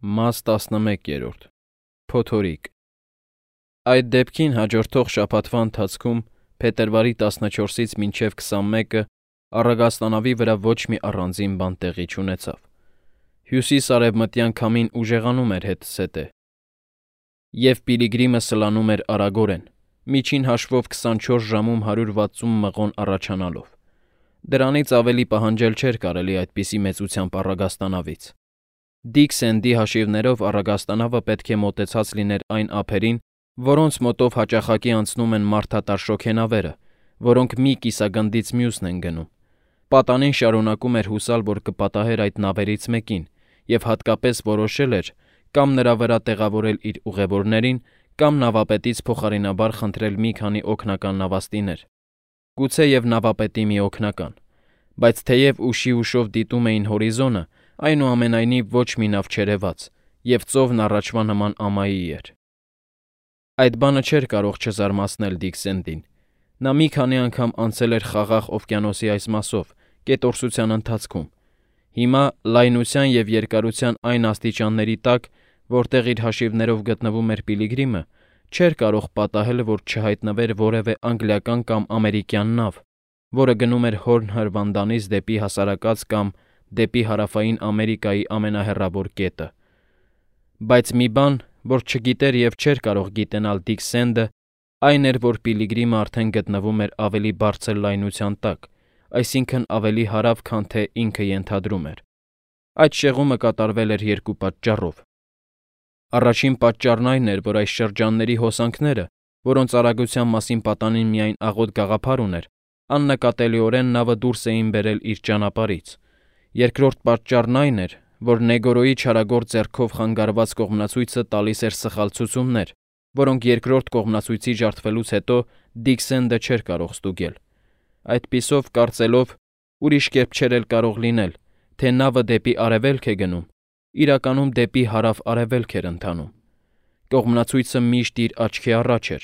Մաս 11. Փոթորիկ։ Այդ դեպքին հաջորդող շաբաթվա ընթացքում փետրվարի 14-ից մինչև 21-ը առագաստանավի վրա ոչ մի առանձին բան տեղի չունեցավ։ Հյուսիս-արևմտյան քամին ուժեղանում էր հետզհետե, և Պիլիգրիմը սլանում էր արագորեն, միջին հաշվով 24 ժամում 160 մղոն առաջանալով։ Դրանից ավելի պահանջել չէր կարելի այդպիսի մեծությամբ առագաստանավից։ Դիք Սենդի հաշիվներով առագաստանավը պետք է մոտեցած լիներ այն ափերին, որոնց մոտով հաճախակի անցնում են մարդատար շոգենավերը, որոնք մի կիսագնդից մյուսն են գնում։ Պատանին շարունակում էր հուսալ, որ կպատահեր այդ նավերից մեկին, և հատկապես որոշել էր կամ նրա վրա տեղավորել իր ուղևորներին, կամ նավապետից փոխարինաբար խնդրել մի քանի օգնական նավաստիներ։ Գուցեև նավապետի մի օգնական, բայց թեև ուշի-ուշով դիտում էին հորիզոնը, այնուամենայնիվ ոչ մի նավ չերևաց, և ծովն առաջվա նման ամայի էր։ Այդ բանը չէր կարող չզարմացնել Դիք Սենդին։ Նա մի քանի անգամ անցել էր Խաղաղ օվկիանոսի այս մասով, կետորսության ընթացքում։ Հիմա լայնության և երկարության այն աստիճանների տակ, որտեղ իր հաշիվներով գտնվում էր Պիլիգրիմը, չէր կարող պատահել, որ չհայտնվեր որևէ անգլիական կամ ամերիկյան նավ, որը գնում էր Հորն հրվանդանից դեպի հասարակած կամ դեպի Հարավային Ամերիկայի ամենահեռավոր կետը։ Բայց մի բան, որ չգիտեր և չէր կարող գիտենալ Դիք Սենդը, այն էր, որ Պիլիգրիմը արդեն գտնվում էր ավելի բարձր լայնության տակ, այսինքն ավելի հարավ, քան թե ինքը ենթադրում էր։ Այդ շեղումը կատարվել էր երկու պատճառով։ Առաջին պատճառն այն էր, որ այս շրջանների հոսանքները, որոնց արագության մասին պատանին միայն աղոտ գաղափար ուներ, աննկատելիորեն նավը դուրս էին բերել իր ճանապարհից։ Երկրորդ պատճառն այն էր, որ Նեգորոյի չարագործ ձեռքով խանգարված կողմնացույցը տալիս էր սխալ ցուցումներ, որոնք երկրորդ կողմնացույցի ջարդվելուց հետո Դիք Սենդը չէր կարող ստուգել։ Այդպիսով կարծելով, ուրիշ կերպ չէր էլ կարող լինել, թե նավը դեպի արևելք է գնում, իրականում դեպի հարավ-արևելք էր ընթանում։ Կողմնացույցը միշտ իր աչքի առաջ էր,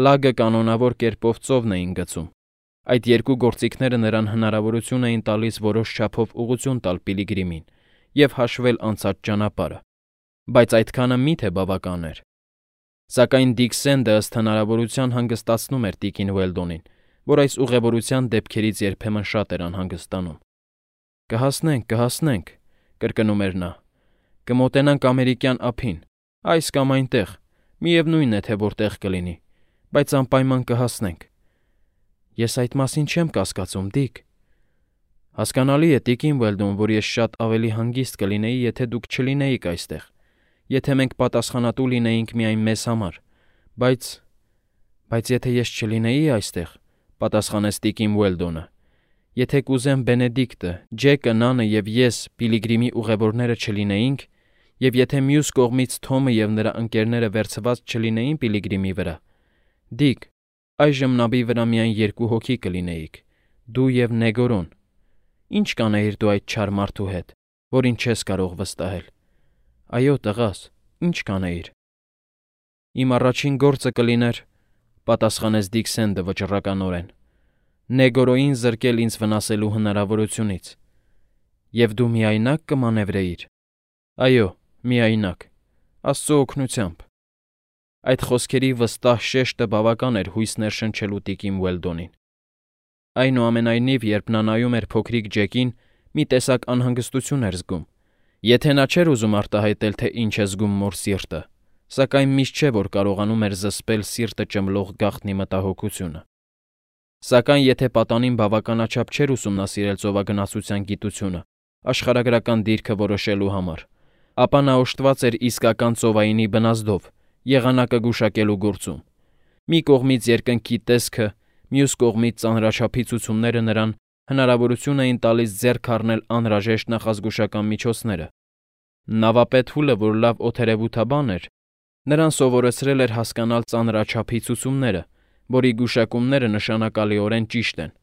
լագը կանոնավոր կերպով ծովն էին գցում։ Այդ երկու գործիքները նրան հնարավորություն էին տալիս որոշ չափով ուղղություն տալ Պիլիգրիմին և հաշվել անցած ճանապարհը, բայց այդքանը միթե բավական էր։ Սակայն Դիք Սենդը ըստ հնարավորության հանգստացնում էր տիկին Ուելդոնին, որ այս ուղևորության դեպքերից երբեմն շատ էր անհանգստանում։ Կհասնենք, կրկնում էր նա։ Կմոտենանք ամերիկյան ափին, այս կամ այնտեղ, միևնույն է, թե որտեղ կլինի, բայց անպայման կհասնենք։ Ես այդ մասին չեմ կասկածում, Դիք։ Հասկանալի է, տիկին Ուելդոն, որ ես շատ ավելի հանգիստ կլինեի, եթե դուք չլինեիք այստեղ, եթե մենք պատասխանատու լինեինք միայն մեզ համար, բայց եթե ես չլինեի այստեղ, պատասխանեց տիկին Ուելդոնը, եթե կուզեմ Բենեդիկտը, Ջեկը, Նանը և ես Պիլիգրիմի ուղևորները չլինեինք, և եթե մյուս կողմից Թոմը և նրա ընկերները վերցված չլինեին Պիլիգրիմի վրա, Դիք, այժմ նավի վրա միայն երկու հոգի կլինեիք, դու և Նեգորոն։ Ինչ կանեիր դու այդ չար մարդու հետ, որին չես կարող վստահել։ Այո, տղաս, ինչ կանեիր։ Իմ առաջին գործը կլիներ, պատասխանեց Դիք Սենդը վճռականորեն, Նեգորոյին զրկել ինձ վնասելու հնարավորությունից։ Եվ դու միայնակ կմանևրեիր։ Այո, միայնակ, Աստծո օգնությամբ։ Այդ խոսքերի վստահ շեշտը բավական էր հույս ներշնչելու տիկին Ուելդոնին։ Այնուամենայնիվ, երբ նա նայում էր փոքրիկ Ջեկին, մի տեսակ անհանգստություն էր զգում։ Եթե նա չէր ուզում արտահայտել, թե ինչ է զգում մոր սիրտը, սակայն միշտ չէ, որ կարողանում էր զսպել սիրտը ճմլող գաղտնի մտահոգությունը։ Սակայն եթե պատանին բավականաչափ չէր ուսումնասիրել ծովագնացության գիտությունը աշխարհագրական դիրքը որոշելու համար, ապա նա օժտված էր իսկական ծովայինի բնազդով, եղանակը գուշակելու գործում։ Մի կողմից երկնքի տեսքը, մյուս կողմից ծանրաչափի ցուցումները նրան հնարավորություն էին տալիս ձեռք առնել անհրաժեշտ նախազգուշական միջոցները։ Նավապետ Հուլը, որ լավ օդերևութաբան էր, նրան սովորեցրել էր հասկանալ ծանրաչափի ցուցումները, որի գուշակումները նշանակալիորեն ճիշտ են։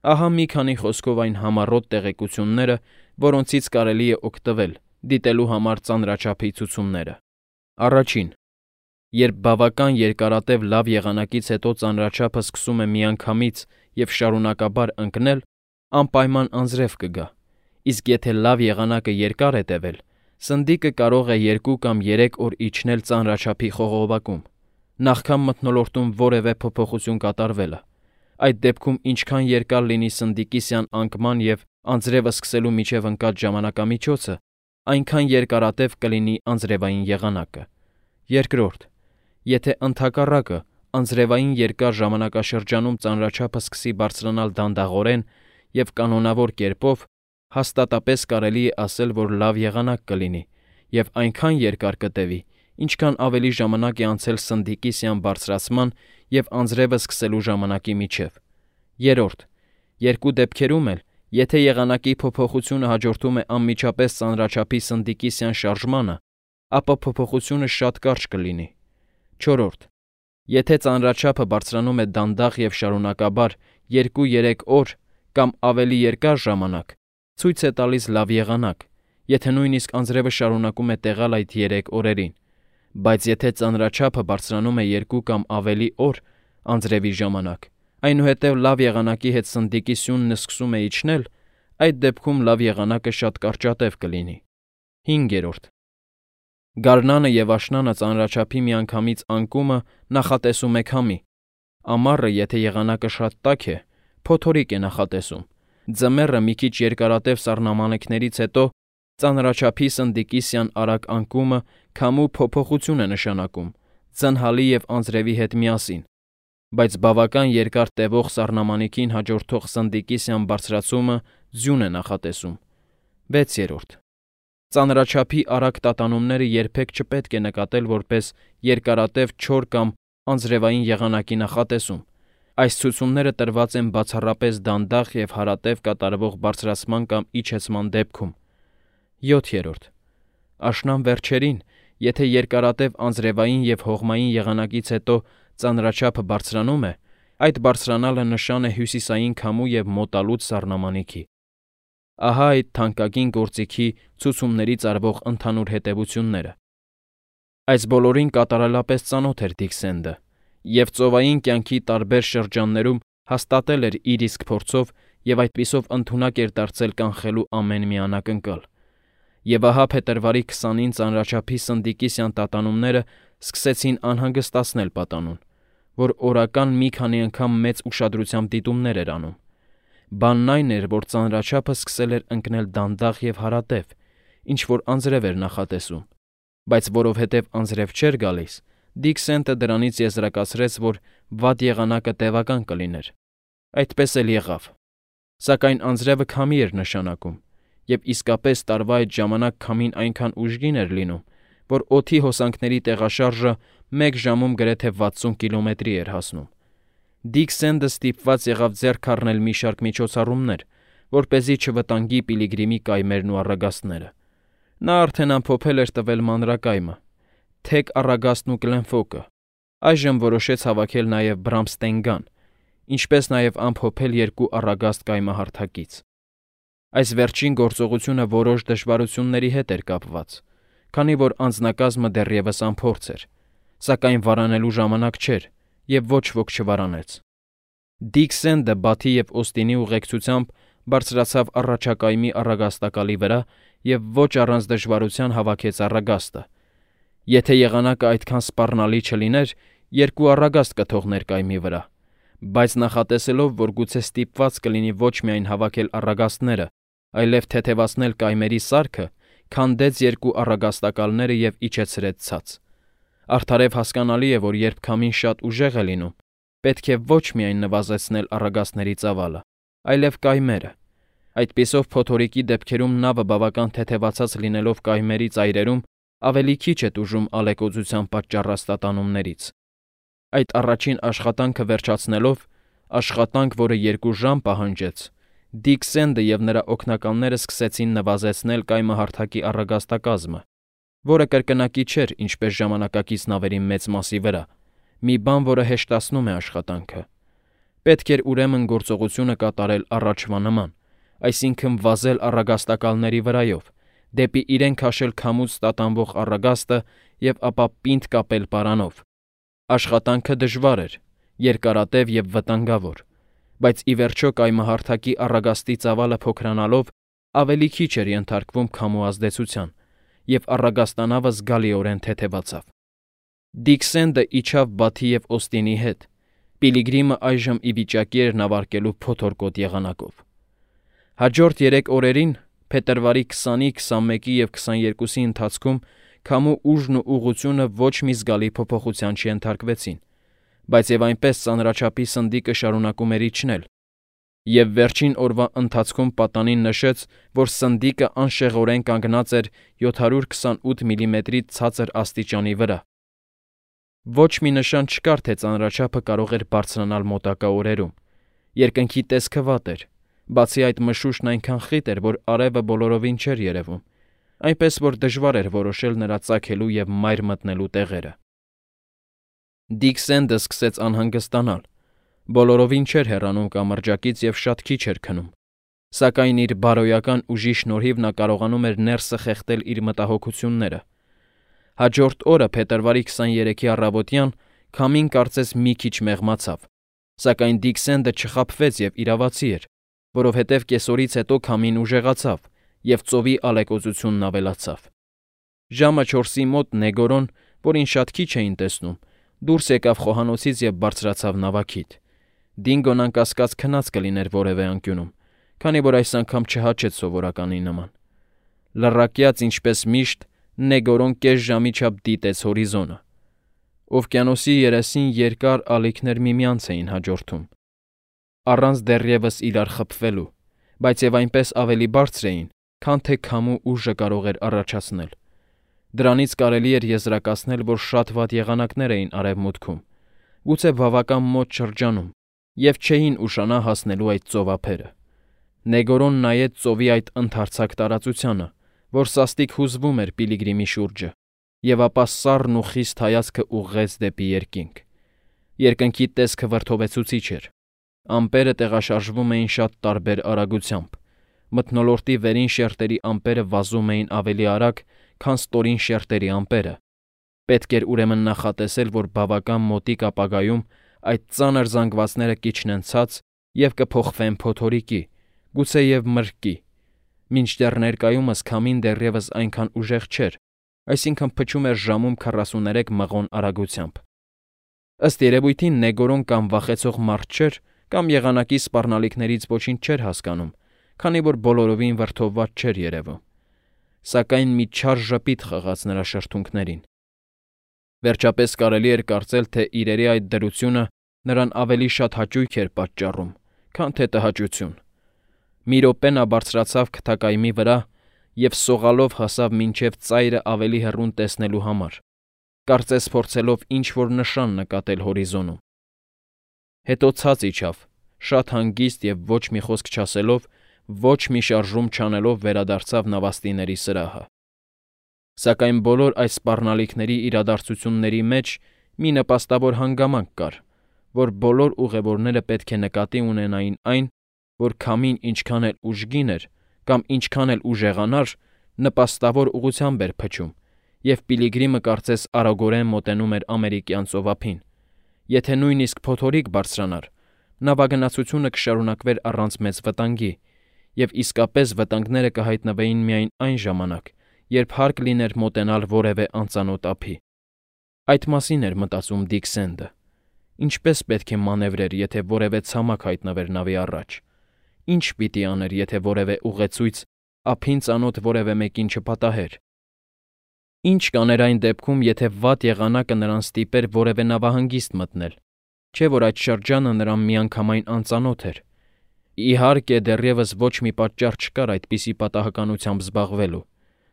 Ահա մի քանի խոսքով այն համառոտ տեղեկությունները, որոնցից կարելի է օգտվել, դիտելու համար ծանրաչափի ցուցումները։ Առաջին. Երբ բավական երկարատև լավ եղանակից հետո ծանրաչափը սկսում է միանգամից և շարունակաբար ընկնել, անպայման անձրև կգա, իսկ եթե լավ եղանակը երկար է տևել, Սնդիկը կարող է 2 կամ 3 օր իջնել ծանրաչափի խողովակում, նախքան մթնոլորտում որևէ փոփոխություն կատարվելը։ Այդ դեպքում ինչքան երկար լինի սնդիկի սյան անկման և անձրևը սկսելու միջև ընկած ժամանակամիջոցը, այնքան երկարատև կլինի անձրևային եղանակը։ Երկրորդ, եթե ընդհակառակը անձրևային երկար ժամանակաշրջանում ծանրաչափը սկսի բարձրանալ դանդաղորեն և կանոնավոր կերպով, հաստատապես կարելի է ասել, որ լավ եղանակ կլինի և այնքան երկար կտևի, ինչքան ավելի ժամանակ է անցել սնդիկի սյան բարձրացման և անձրևը սկսելու ժամանակի միջև։ Երրորդ, երկու դեպքերում էլ, եթե եղանակի փոփոխությունը հաջորդում է անմիջապես ծանրաչափի սնդիկի սյան շարժմանը, ապա փոփոխությունը շատ կարճ կլինի։ Չորրորդ, եթե ծանրաչափը բարձրանում է դանդաղ և շարունակաբար 2-3 օր կամ ավելի երկար ժամանակ, ցույց է տալիս լավ եղանակ, եթե նույնիսկ անձրևը շարունակում է տեղալ այդ 3 օրերին, բայց եթե ծանրաչափը բարձրանում է 2 կամ ավելի օր անձրևի ժամանակ, այնուհետև լավ եղանակի հետ սնդիկի սյունն սկսում է իջնել, այդ դեպքում լավ եղանակը շատ կարճատև կլինի։ 5. Գարնանը և աշնանը ծանրաչափի միանգամից անկումը նախատեսում է քամի։ Ամառը, եթե եղանակը շատ տաք է, փոթորիկ է նախատեսում։ Ձմեռը մի քիչ երկարատև սառնամանեքներից հետո ծանրաչափի սնդիկի սյան արագ անկումը քամու փոփոխություն է նշանակում, ձնհալի և անձրևի հետ միասին, բայց բավական երկար տևող սառնամանիքին հաջորդող սնդիկի սյան բարձրացումը ձյուն է նախատեսում։ 6. Ծանրաչափի արագ տատանումները երբեք չպետք է նկատել որպես երկարատև չոր կամ անձրևային եղանակի նախատեսում։ Այս ցուցումները տրված են բացառապես դանդաղ և հարատև կատարվող բարձրացման կամ իջեցման դեպքում։ 7. Աշնան վերջերին, եթե երկարատև անձրևային և հողմային եղանակից հետո ծանրաչափը բարձրանում է, այդ բարձրանալը նշան է հյուսիսային քամու և մոտալուտ սառնամանիքի։ Ահա այդ թանկագին գործիքի ցուցումներից արվող ընդհանուր հետևությունները։ Այս բոլորին կատարելապես ծանոթ էր Դիքսենդը, և ծովային կյանքի տարբեր շրջաններում հաստատել էր իր իսկ փորձով և այդպիսով ընդունակ էր դարձել կանխելու ամեն մի անակնկալ։ Եվ ահա փետրվարի 20-ին ծանրաչափի սնդիկի սյան տատանումները սկսեցին անհանգստացնել պատանուն, որ օրական մի քանի անգամ մեծ ուշադրությամբ դիտումներ էր անում։ Բանն այն էր, որ ծանրաչափը սկսել էր ընկնել դանդաղ և հարատև, ինչ-որ անձրև էր նախատեսում, բայց որովհետև անձրև չէր գալիս, Դիքսենտը դրանից եզրակացրեց, որ վատ եղանակը տևական կլիներ։ Այդպես էլ եղավ։ Սակայն անձրևը քամի էր նշանակում, և իսկապես տարվա այդ ժամանակ քամին այնքան ուժգին էր լինում, որ օդի հոսանքների տեղաշարժը 1 ժամում գրեթե 60 կիլոմետրի էր հասնում։ Դիքսենդը ստիպված եղավ ձեռք առնել մի շարք միջոցառումներ, որպեսզի չվտանգի Պիլիգրիմի կայմերն ու առագաստները։ Նա արդեն ամփոփել էր տվել մանրակայմը, թեք առագաստն ու Գլենֆոկը, այժմ որոշեց հավաքել նաև Բրամստենգան, ինչպես նաև ամփոփել 2 առագաստ կայմահարթակից։ Այս վերջին գործողությունը որոշ դժվարությունների հետ էր կապված, քանի որ անձնակազմը դեռևս անփորձ էր, սակայն վարանելու ժամանակ չէր, և ոչ ոք չվարանեց։ Դիքսենդը Բաթի և Օստինի ուղեկցությամբ բարձրացավ առաջակայմի առագաստակալի վրա և ոչ առանց դժվարության հավաքեց առագաստը։ Եթե եղանակը այդքան սպառնալի չլիներ, 2 առագաստ կթողներ կայմի վրա, բայց նախատեսելով, որ գուցե ստիպված կլինի ոչ միայն հավաքել առագաստները, այլև թեթևացնել կայմերի սարքը, քանդեց 2 առագաստակալները և իջեցրեց ցած։ Արդարև հասկանալի է, որ երբ քամին շատ ուժեղ է լինում, պետք է ոչ միայն նվազեցնել առագաստների ծավալը, այլև կայմերը։ Այդպիսով փոթորիկի դեպքերում նավը բավական թեթևացած լինելով կայմերի ծայրերում ավելի քիչ է տուժում ալեկոծության պատճառած տատանումներից։ Այդ առաջին աշխատանքը վերջացնելով, աշխատանք, որը 2 ժամ պահանջեց, Դիքսենդը և նրա օգնականները սկսեցին նվազեցնել կայմահարթակի առագաստակազմը, որը կրկնակի չէր ինչպես ժամանակակից նավերի մեծ մասի վրա, մի բան, որը հեշտացնում է աշխատանքը։ Պետք էր ուրեմն գործողությունը կատարել առաջվա նման, այսինքն վազել առագաստակալների վրայով, դեպի իրեն քաշել քամուց տատանվող առագաստը և ապա պինդ կապել պարանով։ Աշխատանքը դժվար էր, երկարատև և վտանգավոր, բայց ի վերջո կայմահարթակի առագաստի ծավալը փոքրանալով ավելի քիչ էր ենթարկվում քամու ազդեցության, և առագաստանավը զգալիորեն թեթևացավ։ Դիքսենդը իջավ Բաթի և Օստինի հետ։ Պիլիգրիմը այժմ ի վիճակի էր նավարկելու փոթորկոտ եղանակով։ Հաջորդ 3 օրերին, փետրվարի 20-ի, 21-ի և 22-ի ընթացքում քամու ուժն ու ուղղությունը ոչ մի զգալի փոփոխության չենթարկվեցին, բայց և այնպես ծանրաչափի սնդիկը շարունակում էր իջնել, և վերջին օրվա ընթացքում պատանին նշեց, որ սնդիկը անշեղորեն կանգնած էր 728 միլիմետրի ցածր աստիճանի վրա։ Ոչ մի նշան չկար, թե ծանրաչափը կարող էր բարձրանալ մոտակա օրերում։ Երկնքի տեսքը վատ էր, բացի այդ մշուշն այնքան խիտ էր, որ արևը բոլորովին չէր երևում, այնպես որ դժվար էր որոշել նրա ծագելու և մայր մտնելու տեղերը։ Դիքսենդը սկսեց անհանգստանալ, բոլորովին չէր հեռանում կամրջակից և շատ քիչ էր քնում, սակայն իր բարոյական ուժի շնորհիվ նա կարողանում էր ներսը խեղդել իր մտահոգությունները։ Հաջորդ օրը, փետրվարի 23-ի առավոտյան, քամին կարծես մի քիչ մեղմացավ, սակայն Դիքսենդը չխաբվեց և իրավացի էր, որովհետև կեսօրից հետո քամին ուժեղացավ, և ծովի ալեկոծությունն ավելացավ։ Ժամը 4-ի մոտ Նեգորոն, որին շատ քիչ էին տեսնում, դուրս եկավ խոհանոցից և բարձրացավ նավակիդ։ Դինգոն անկասկած քնած կլիներ որևէ անկյունում, քանի որ այս անգամ չհաչեց սովորականի նման։ Լռակյաց, ինչպես միշտ, Նեգորոն կես ժամի չափ դիտեց հորիզոնը։ Օվկիանոսի երեսին երկար ալիքներ միմյանց էին հաջորդում, առանց դեռևս իրար խփվելու, բայց և այնպես ավելի բարձր էին, քան թե քամու ուժը կարող էր առաջացնել։ Դրանից կարելի էր եզրակացնել, որ շատ վատ եղանակներ էին արևմուտքում, գուցե բավական մոտ շրջանում, և չէին ուշանա հասնելու այդ ծովափերը։ Նեգորոն նայեց ծովի այդ ընդարձակ տարածությանը, որ սաստիկ հուզվում էր Պիլիգրիմի շուրջը, և ապա սառն ու խիստ հայացքը ուղղեց դեպի երկինք։ Երկնքի տեսքը վրդովեցուցիչ էր։ Ամպերը տեղաշարժվում էին շատ տարբեր արագությամբ։ Մթնոլորտի վերին շերտերի ամպերը վազում էին ավելի արագ, քան ստորին շերտերի ամպերը։ Պետք էր ուրեմն նախատեսել, որ բավական մոտիկ ապագայում այդ ծանր զանգվածները կիջնեն ցած և կփոխվեն փոթորիկի, գուցեև մրրկի։ Մինչդեռ ներկայումս քամին դեռևս այնքան ուժեղ չէր, այսինքն փչում էր ժամում 43 մղոն արագությամբ։ Ըստ երևույթին Նեգորոն կամ վախեցող մարդ չէր, կամ եղանակի սպառնալիքներից ոչինչ չէր հասկանում, քանի որ բոլորովին վրդովված չէր երևում։ Սակայն մի չար ժպիտ խղաց նրա շրթունքներին։ Վերջապես կարելի էր կարծել, թե իրերի այդ դրությունը նրան ավելի շատ հաճույք էր պատճառում, քան թե տհաճություն։ Մի րոպե նա բարձրացավ քթակայմի վրա և սողալով հասավ մինչև ծայրը ավելի հեռուն տեսնելու համար, կարծես փորձելով ինչ-որ նշան նկատել հորիզոնում։ Հետո ցած իջավ, շատ հանգիստ և ոչ մի խոսք չասելով, ոչ մի շարժում չանելով վերադարձավ նավաստիների սրահը։ Սակայն բոլոր այս սպառնալիքների իրադարձությունների մեջ մի նպաստավոր հանգամանք կար, որ բոլոր ուղևորները պետք է նկատի ունենային այն, որ քամին ինչքան էլ ուժգին էր կամ ինչքան էլ ուժեղանար, նպաստավոր ուղղությամբ էր փչում, և Պիլիգրիմը կարծես արագորեն մոտենում էր ամերիկյան ծովափին։ Եթե նույնիսկ փոթորիկ բարձրանար, նավագնացությունը կշարունակվեր առանց մեծ վտանգի, և իսկապես վտանգները կհայտնվեին միայն այն ժամանակ, երբ հարկ լիներ մոտենալ որևէ անծանոթ ափի։ Այդ մասին էր մտածում Դիքսենդը։ Ինչպես պետք է մանևրեր, եթե որևէ ցամաք հայտնվեր նավի առաջ։ Ինչ պիտի աներ, եթե որևէ ուղեցույց ափին ծանոթ որևէ մեկին չպատահեր։ Ինչ կաներ այն դեպքում, եթե վատ եղանակը նրան ստիպեր որևէ նավահանգիստ մտնել, չէ՞ որ այդ շրջանը նրան միանգամայն անծանոթ էր։ Իհարկե, դեռևս ոչ մի պատճառ չկար այդպիսի պատահականությամբ զբաղվելու,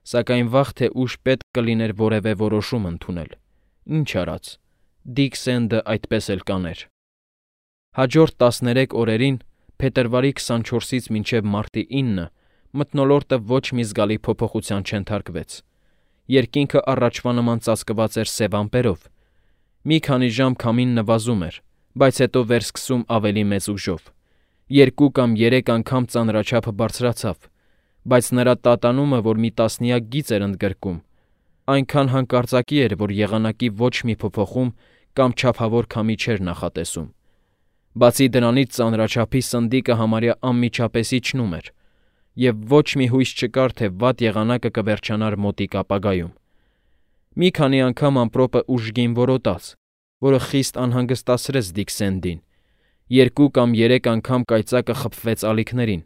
սակայն վաղ թե ուշ պետք կլիներ որևէ որոշում ընդունել։ Ինչ արած, Դիքսենդը այդպես էլ կաներ։ Հաջորդ 13 օրերին, փետրվարի 24-ից մինչև մարտի 9-ը, մթնոլորտը ոչ մի զգալի փոփոխության չենթարկվեց։ Երկինքը առաջվա նման ծածկված էր սև ամպերով։ Մի քանի ժամ քամին նվազում էր, բայց հետո վերսկսում ավելի մեծ ուժով։ 2 կամ 3 անգամ ծանրաչափը բարձրացավ, բայց նրա տատանումը, որ մի տասնյակ գիծ էր ընդգրկում, այնքան հանկարծակի էր, որ եղանակի ոչ մի փոփոխում կամ չափավոր քամի չէր նախատեսում։ Բացի դրանից ծանրաչափի սնդիկը համարյա անմիջապես իջնում էր, եւ ոչ մի հույս չկար, թե վատ եղանակը կվերջանար մոտիկ ապագայում։ Մի քանի անգամ ամպրոպը ուժգին որոտաց, որը խիստ անհանգստացրեց Դիքսենդին։ 2 կամ 3 անգամ կայծակը խփվեց ալիքներին,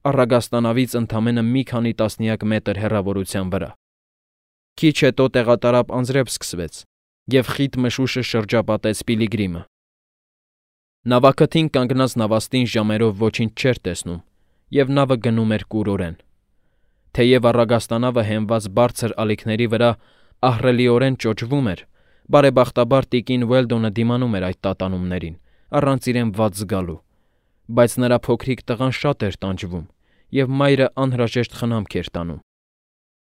առագաստանավից ընդամենը մի քանի տասնյակ մետր հեռավորության վրա։ Քիչ հետո տեղատարապ անձրև սկսվեց, եւ խիտ մշուշը շրջապատեց Պիլիգրիմը։ Նավակթին կանգնած նավաստին ժամերով ոչինչ չէր տեսնում, եւ նավը գնում էր կուրորեն։ Թեև առագաստանավը հենված բարձր ալիքների վրա ահռելիորեն ճոճվում էր, բարեբախտաբար տիկին Ուելդոնը դիմանում էր այդ տատանումներին, առանց իրեն վատ զգալու, բայց նրա փոքրիկ տղան շատ էր տանջվում, եւ մայրը անհրաժեշտ խնամք էր տանում։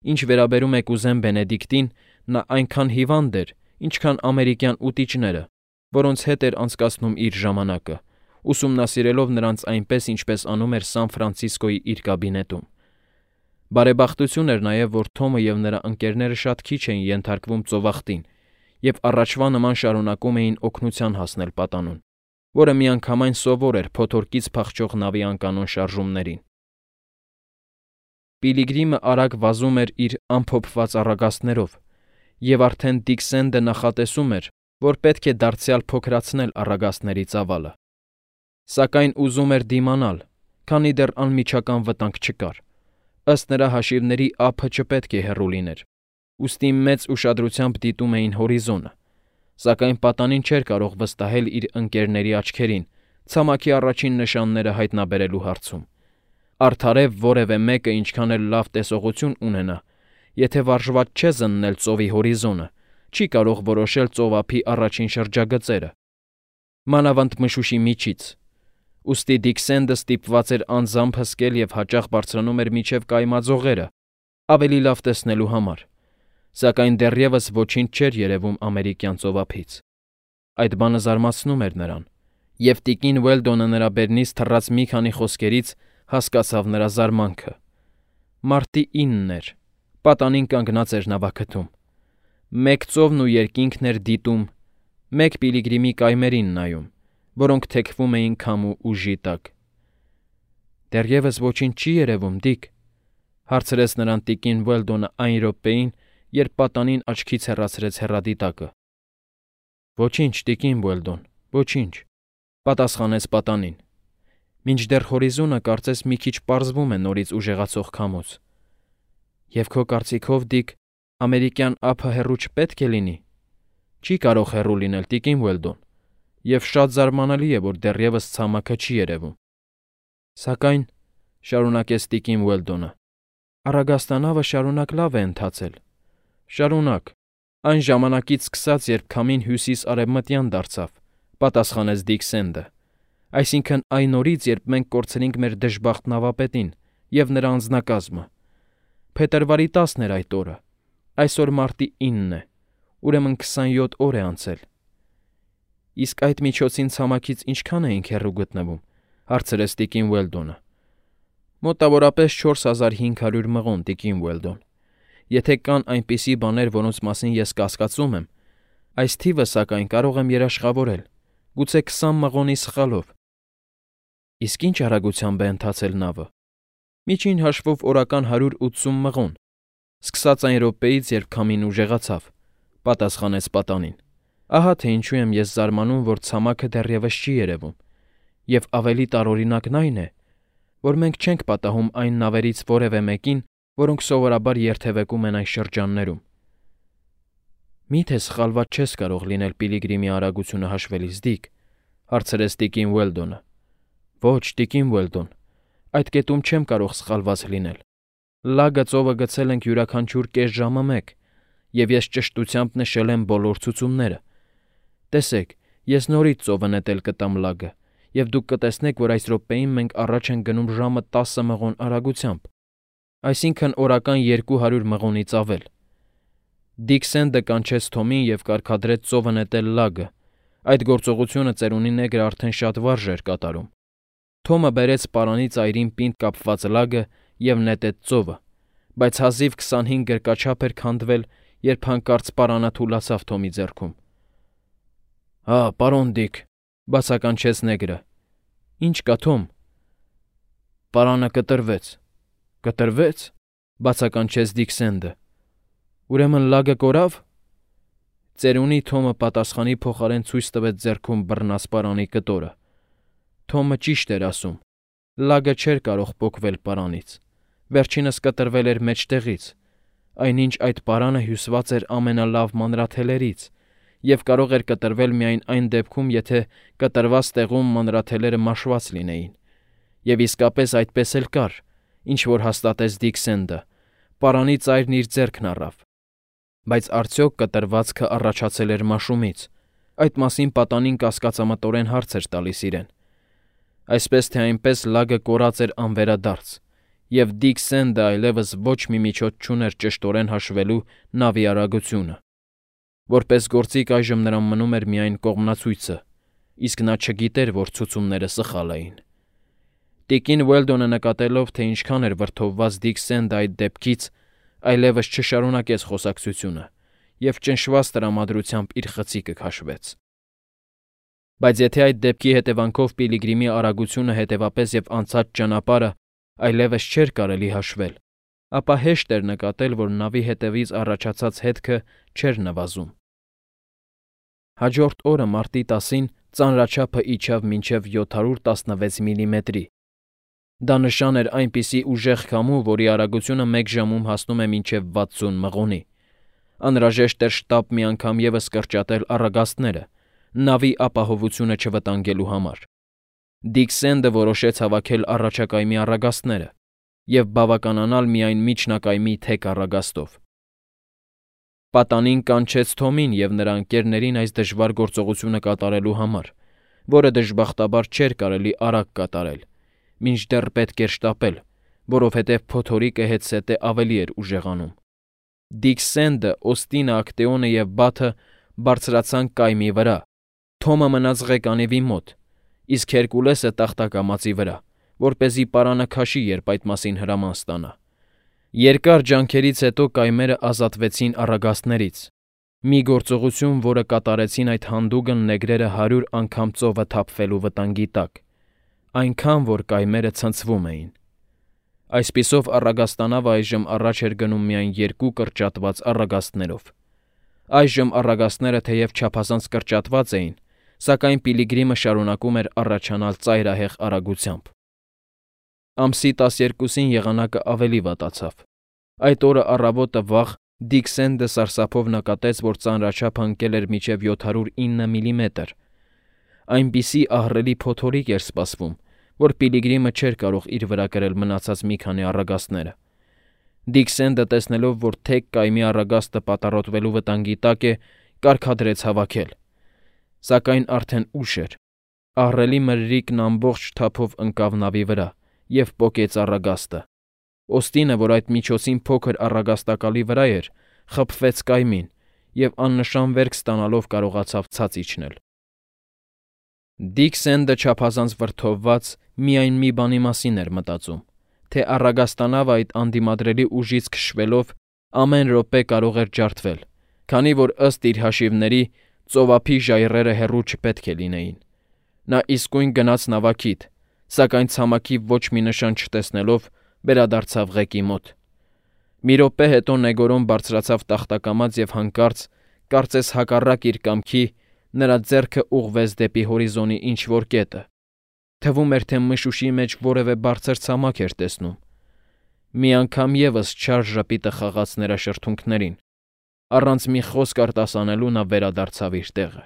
Ինչ վերաբերում է կուզեն Բենեդիկտին, նա այնքան հիվանդ էր, ինչքան ամերիկյան ուտիչները, որոնց հետ էր անցկացնում իր ժամանակը, ուսումնասիրելով նրանց այնպես, ինչպես անում էր Սան Ֆրանցիսկոյի իր կաբինետում։ Բարեբախտություն էր նաև, որ Թոմը եւ նրա ընկերները շատ քիչ էին ենթարկվում ծովախտին եւ առաջվա նման շարունակում էին օգնության հասնել պատանուն, որը միանգամայն սովոր էր փոթորկից փախչող նավի անկանոն շարժումներին։ Պիլիգրիմը արագ վազում էր իր ամփոփված առագաստներով, եւ արդեն Դիքսենդը նախատեսում էր, որ պետք է դարձյալ փոքրացնել առագաստների ծավալը։ Սակայն ուզում էր դիմանալ, քանի դեռ անմիջական վտանգ չկար։ Ըստ նրա հաշիվների ափը չպետք է հեռու լիներ, ուստի մեծ ուշադրությամբ դիտում էին հորիզոնը, սակայն պատանին չէր կարող վստահել իր ընկերների աչքերին, ցամաքի առաջին նշանները հայտնաբերելու հարցում։ Արդարև որևէ մեկը ինչքան էլ լավ տեսողություն ունենա, եթե վարժված չէ զննել ծովի հորիզոնը, չի կարող որոշել ծովափի առաջին շրջագծերը, մանավանդ մշուշի միջից։ Ուստի Դիքսենդը ստիպված էր անձամբ հսկել եւ հաճախ բարձրանում էր մինչև կայմաձողերը, ավելի լավ տեսնելու համար, սակայն դեռևս ոչինչ չէր երևում ամերիկյան ծովափից։ Այդ բանը զարմացնում էր նրան, եւ տիկին Ուելդոնը նրա բերնից թռած մի քանի խոսքերից հասկացավ նրա զարմանքը։ Մարտի 9-ն էր, պատանին կանգնած էր նավակթում։ Մեկ ծովն ու երկինքն էր դիտում, մեկ Պիլիգրիմի կայմերին նայում, որոնք թեքվում էին քամու ուժի տակ։ «Դեռևս ոչինչ չի երևում, Դիք», հարցրեց նրան տիկին Ուելդոնը այն րոպեին, երբ պատանին աչքից հեռացրեց հեռադիտակը։ «Ոչինչ, տիկին Ուելդոն, ոչինչ», պատասխանեց պատանին։ «Մինչդեռ հորիզոնը կարծես մի քիչ պարզվում է նորից ուժեղացող քամուց։ Եվ քո կարծիքով, Դիք, ամերիկյան ափը հեռու չպետք է լինի։ Չի կարող հեռու լինել, տիկին Ուելդոն, եւ շատ զարմանալի է, որ դեռևս ցամաքը չի երևում։ Սակայն, շարունակեց տիկին Ուելդոնը, առագաստանավը շարունակ լավ է ընթացել։ Շարունակ, այն ժամանակից սկսած, երբ քամին հյուսիս-արևմտյան դարձավ, պատասխանեց Դիքսենդը։ Այսինքն այն օրից, երբ մենք կորցրինք մեր դժբախտ նավապետին եւ նրա անձնակազմը։ Փետրվարի 10-ն էր այդ օրը, այսօր մարտի 9-ն է, ուրեմն 27 օր է անցել։ Իսկ այդ միջոցին ցամաքից ինչքան էինք հեռու գտնվում, հարցրեց տիկին Ուելդոնը։ Մոտավորապես 4500 մղոն, տիկին Ուելդոն։ Եթե կան այնպիսի բաներ, որոնց մասին ես կասկածում եմ, այս թիվը սակայն կարող եմ երաշխավորել, գուցե 20 մղոնի սխալով։ Իսկ ինչ արագությամբ է ընթացել նավը։ Միջին հաշվով օրական 180 մղոն, սկսած այն րոպեից, երբ քամին ուժեղացավ, պատասխանեց պատանին։ Ահա թե ինչու եմ ես զարմանում, որ ցամաքը դեռևս չի երևում, եւ ավելի տարօրինակն այն է, որ մենք չենք պատահում այն նավերից որևէ մեկին, որոնք սովորաբար երթևեկում են այն շրջաններում։ Միթե սխալված չես կարող լինել Պիլիգրիմի արագությունը հաշվելիս, Դիք, հարցրեց տիկին Ուելդոնը։ Ոչ, տիկին Ուելդոն, այդ կետում չեմ կարող սխալված լինել։ Լագը ծովը գցել ենք յուրաքանչյուր կես ժամը մեկ, եւ ես ճշտությամբ նշել եմ բոլոր ցուցումները։ Տեսեք, ես նորից ծովը նետել կտամ լագը, եւ դուք կտեսնեք, որ այս րոպեին մենք առաջ ենք գնում ժամը 10 մղոն արագությամբ, այսինքն օրական 200 մղոնից ավել։ Դիքսենդը կանչեց Թոմին եւ կարգադրեց ծովը նետել լագը։ Այդ գործողությունը ծերունի նեգրը արդեն շատ վարժ էր կատարում։ Թոմը բերեց պարանի ծայրին պինդ կապված լագը եւ նետեց ծովը, բայց հազիվ 25 գրկաչափ էր քանդվել, երբ հանկարծ պարանը թուլացավ Թոմի ձեռքում։ «Հա, պարոն Դիք», բացականչեց նեգրը։ «Ինչ կա, Թոմ»։ «Պարանը կտրվեց։ Կտրվեց, բացականչեց Դիքսենդը։ Ուրեմն լագը կորավ։ Ծերունի Թոմը պատասխանի փոխարեն ցույց տվեց ձեռքում բռնած պարանի կտորը։ Թոմը ճիշտ էր ասում։ Լագը չէր կարող պոկվել պարանից։ Վերջինս կտրվել էր մեջտեղից, այնինչ այդ պարանը հյուսված էր ամենալավ մանրաթելերից և կարող էր կտրվել միայն այն դեպքում, եթե կտրված տեղում մանրաթելերը մաշված լինեին։ Եվ իսկապես այդպես էլ կար, ինչ որ հաստատեց Դիքսենդը, պարանի ծայրն իր ձեռքն առավ։ Բայց արդյոք կտրվածքը առաջացել էր մաշումից։ Այդ մասին պատանին կասկածամտորեն հարց էր տալիս իրեն։ Այսպես թե այնպես լագը կորած էր անվերադարձ, և Դիքսենդը այլևս ոչ մի միջոց չուներ ճշտորեն հաշվելու նավի արագությունը։ Որպես գործիք այժմ նրան մնում էր միայն կողմնացույցը, իսկ նա չգիտեր, որ ցուցումները սխալ էին։ Տիկին Ուելդոնը նկատելով, թե ինչքան էր վրդովված Դիքսենդը այդ դեպքից, այլևս չշարունակեց խոսակցությունը և ճնշված տրամադրությամբ իր խցիկը քաշվեց։ Բայց եթե այդ դեպքի հետևանքով Պիլիգրիմի արագությունը հետևապես և անցած ճանապարհը այլևս չէր կարելի հաշվել, ապա հեշտ էր նկատել, որ նավի հետևից առաջացած հետքը չէր նվազում։ Հաջորդ օրը մարտի 10-ին ծանրաչափը իջավ մինչև 716 միլիմետրի։ Դա նշան էր այնպիսի ուժեղ քամու, որի արագությունը մեկ ժամում հասնում է մինչև 60 մղոնի։ Անհրաժեշտ էր շտապ մի անգամ ևս կրճատել առագաստները, նավի ապահովությունը չվտանգելու համար։ Դիքսենդը որոշեց հավաքել առաջակայմի առագաստները և բավականանալ միայն միջնակայմի թեք առագաստով։ Պատանին կանչեց Թոմին և նրա ընկերներին այս դժվար գործողությունը կատարելու համար, որը դժբախտաբար չէր կարելի արագ կատարել, մինչդեռ պետք էր շտապել, որովհետև փոթորիկը հետզհետե ավելի էր ուժեղանում։ Դիքսենդը, Օստինը, Ակտեոնը և Բաթը բարձրացան կայմի վրա։ Թոմը մնաց ղեկանիվի մոտ, իսկ Հերկուլեսը տախտակամածի վրա, որպեսզի պարանը քաշի, երբ այդ մասին հրաման ստանա։ Երկար ջանքերից հետո կայմերը ազատվեցին առագաստներից։ Մի գործողություն, որը կատարեցին այդ հանդուգն նեգրերը 100 անգամ ծովը թափվելու վտանգի տակ, այնքան, որ կայմերը ցնցվում էին։ Այսպիսով առագաստանավը այժմ առաջ էր գնում միայն 2 կրճատված առագաստներով։ Այժմ առագաստները թեև չափազանց կրճատված էին, սակայն Պիլիգրիմը շարունակում էր առաջանալ ծայրահեղ արագությամբ։ Ամսի 12-ին եղանակը ավելի վատացավ։ Այդ օրը առավոտը վաղ Դիքսենդը սարսափով նկատեց, որ ծանրաչափը ընկել էր մինչև 709 միլիմետր։ Այնպիսի ահռելի փոթորիկ էր սպասվում, որ Պիլիգրիմը չէր կարող իր վրա կրել մնացած մի քանի առագաստները։ Դիքսենդը, տեսնելով, որ թեք կայմի առագաստը պատառոտվելու վտանգի տակ է, կարգադրեց հավաքել։ Սակայն արդեն ուշ էր։ Ահռելի մրրիկն ամբողջ թափով ընկավ նավի վրա և պոկեց առագաստը։ Օստինը, որ այդ միջոցին փոքր առագաստակալի վրա էր, խփվեց կայմին և աննշան վերք ստանալով կարողացավ ցած իջնել։ Դիքսենդը չափազանց վրդովված միայն մի բանի մասին էր մտածում, թե առագաստանավը այդ անդիմադրելի ուժից քշվելով ամեն րոպե կարող էր ջարդվել, քանի որ ըստ իր հաշիվների ծովափի ժայռերը հեռու չպետք է լինեին։ Նա իսկույն գնաց նավակիդ, սակայն ցամաքի ոչ մի նշան չտեսնելով վերադարձավ ղեկի մոտ։ Մի րոպե հետո Նեգորոն բարձրացավ տախտակամած և հանկարծ, կարծես հակառակ իր կամքի, նրա ձեռքը ուղղվեց դեպի հորիզոնի ինչ-որ կետը։ Թվում էր, թե մշուշի մեջ որևէ բարձր ցամաք էր տեսնում։ Մի անգամ ևս չար ժպիտը խաղաց նրա շրթունքներին։ Առանց մի խոսք արտասանելու նա վերադարձավ իր տեղը։